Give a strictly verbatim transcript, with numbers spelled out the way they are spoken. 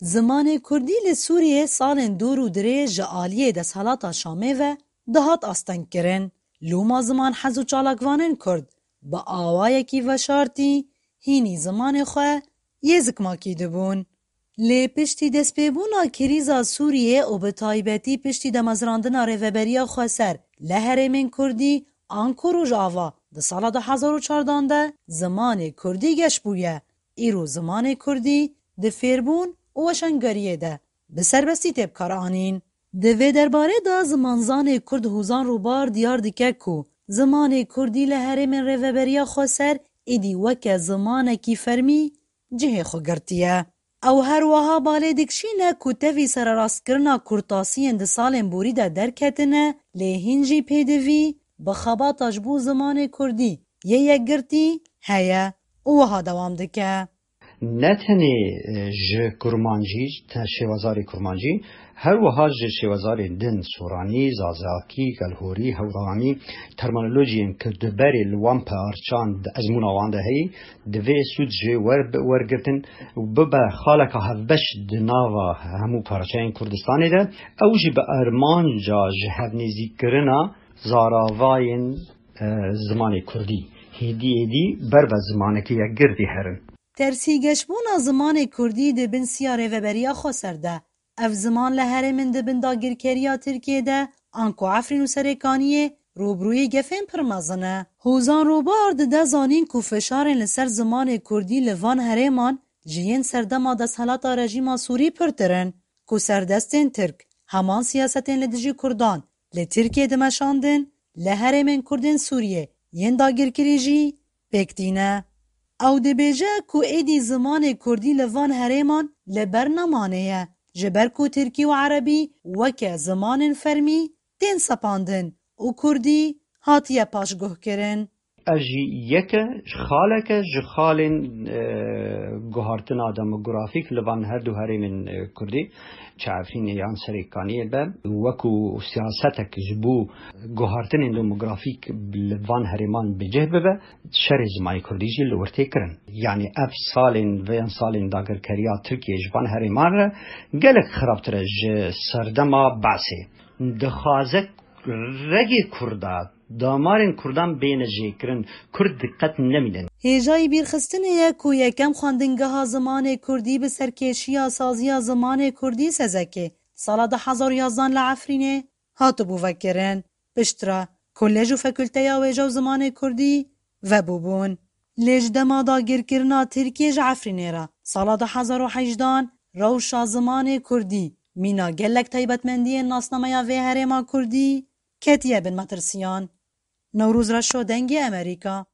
Zimanê kurdî li Sûriyê salên dûr û dirêj ji aliyê desthilata Şamê ve dihat astengkirin. Loma ziman hez û çalakvanên kurd bi awayekî veşartî hînî zimanê xwe yê zikmakî dibûn. Lê piştî destpêbûna krîza Sûriyê û bi taybetî piştî demezrandina Rêveberiya Xweser li herêmên kurdî anku Rojava di sala du hezar û çardan de zimanê kurdî geş bûye. Îro zimanê kurdî di fêrbûn û weşangeriyê de bi serbestî tê bikaranîn. Di vê derbarê de zimanzanê kurd Hozan Rûbar diyar dike ku zimanê kurdî li herêmên Rêveberiya Xweser êdî weke zimanekî fermî cihê xwe girtiye. Ew her wiha balê dikişîne ku tevî sererastkirina kurtasiyên di salên borî de derketine, lê hîn jî pêdivî bi xebata ji bo zimanê kurdî yê yekgirtî heye û wiha dewam dike. Ne tenê, e, ji kurmancî, te-, şêwazarê kurmancî, her wiha ji şêwazarên din, soranî, zazakî, gelhorî, hewranî, terminolojiyên ku di berê li wan parçan, di ezmûna wan de heyî, divê sûd jê wer-, wergirtin û bibe xaleka hevbeş di nava hemû parçeyên Kurdistanê de. Ew jî bi armanca ji hevnêzîkkirina zaravayên, e, zimanê kurdî, hêdî êdî ber ve zimanekî yekgirtî herin. Tersîgeşbûna zimanê kurdî di bin siya Rêveberiya Xweser de. Ev ziman li herêmên di bin dagirkeriya Tirkiyê de, anku Efrîn û Serêkaniyê, rûbirûyî gefên pir mezin e. Hozan Rûbar dide zanîn ku fişarên li ser zimanê kurdî li van herêman ji yên serdema desthilata rejîma Sûrî pirtir in, ku serdestên Tirk heman siyasetên li dijî kurdan li Tirkiyê dimeşandin, li herêmên kurdên Sûriyê yên dagirkirî jî pêk tîne. Ew dibêje ku êdî zimanê kurdî li van herêman li ber nemanê ye, ji ber ku tirkî û erebî weke zimanên fermî tên sepandin û kurdî hatiye paşguhkirin. Ev jî yek e ji xaleke ji xalên, e, guhartina demografîk li van her du herêmên, e, kurdî, çi Efrînê yan Serêkaniyê be, wekû siyasetek ji bo guhartinên demografîk li van herêman bi cih bibe, şerê zimanê kurdî jî li wir tê kirin. Yanî ev salên, vê yan salên dagirkeriya Tirkiyê ji van herêman re gelek xirabtir e ji serdema Be'sê. Dixwaze regê kurda, damarên kurdan bêne jêkirin, kurd diqet nemînin. Hêjayî bîrxistinê ye ku yekem xwendingeha zimanê kurdî bi serkêşiya Saziya Zimanê Kurdî, Sezekê, sala du hezar û yazdan li Efrînê hatibû vekirin. Piştre kolej û fakulteya wêje û zimanê kurdî vebûbûn. Lê ji dema dagirkirina Tirkiyê ji Efrînê re sala du hezar û hejdan, rewşa zimanê kurdî, mîna gelek taybetmendiyên nasnameya vê herêma kurdî ketiye bin metirsiyan. Newroz Reşo, Dengê Amerîka.